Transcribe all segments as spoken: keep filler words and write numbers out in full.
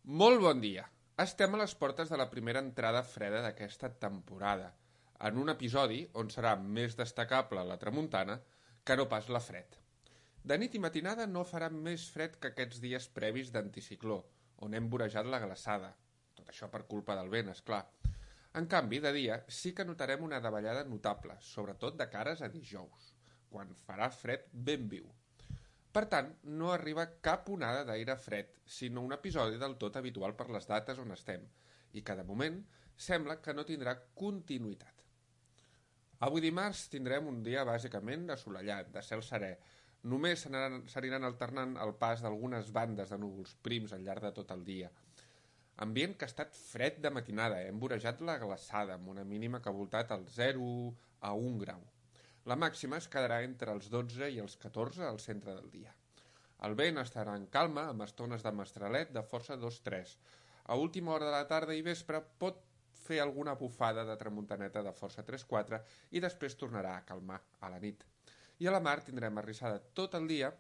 Molt bon dia. Estem a les portes de la primera entrada freda d'aquesta temporada, en un episodi on serà més destacable la tramuntana que no pas la fred. De nit i matinada no farà més fred que aquests dies previs d'anticicló, on hem vorejat la glaçada. Tot això per culpa del vent, és clar. En canvi, de dia sí que notarem una davallada notable, sobretot de cares a dijous, quan farà fred ben viu. Per tant, no arriba cap onada d'aire fred, sinó un episodi del tot habitual per les dates on estem, i que de moment sembla que no tindrà continuïtat. Avui dimarts tindrem un dia bàsicament assolellat, de cel serè. Només s'aniran alternant el pas d'algunes bandes de núvols prims al llarg de tot el dia. Ambient que ha estat fred de matinada, hem vorejat la glaçada, amb una mínima que ha voltat al zero a un grau. La màxima es quedarà entre els dotze i els catorze al centre del dia. El vent estarà en calma, amb estones de mestralet de força dos tres. A última hora de la tarda i vespre pot fer alguna bufada de tramuntaneta de força tres quatre i després tornarà a calmar a la nit. I a la mar tindrem arrissada tot el dia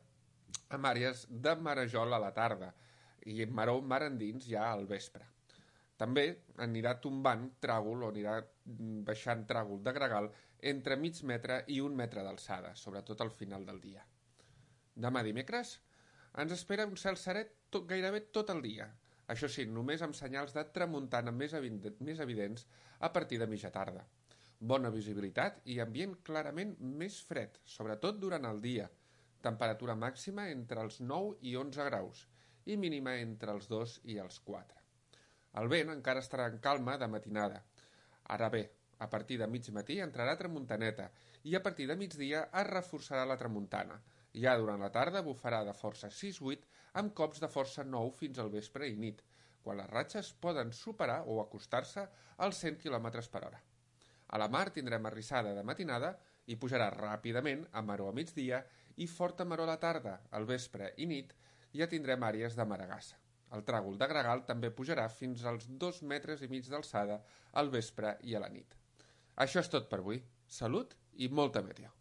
amb àrees de marejol a la tarda i maró mar endins ja al vespre. També anirà tombant tràgol o anirà baixant tràgol de gregal entre mig metre i un metre d'alçada, sobretot al final del dia. Demà dimecres ens espera un cel serè tot, gairebé tot el dia. Això sí, només amb senyals de tramuntana més, més evidents a partir de mitja tarda. Bona visibilitat i ambient clarament més fred, sobretot durant el dia. Temperatura màxima entre els nou i onze graus i mínima entre els dos i els quatre. El vent encara estarà en calma de matinada. Ara bé, a partir de mig matí entrarà tramuntaneta i a partir de migdia es reforçarà la tramuntana. Ja durant la tarda bufarà de força sis vuit amb cops de força nou fins al vespre i nit, quan les ratxes poden superar o acostar-se als cent quilòmetres per hora. A la mar tindrem arrissada de matinada i pujarà ràpidament a maró a migdia i forta maró a la tarda, al vespre i nit ja tindrem àrees de maregassa. El tràgol de gregal també pujarà fins als dos metres i mig d'alçada al vespre i a la nit. Això és tot per avui. Salut i molta meteo.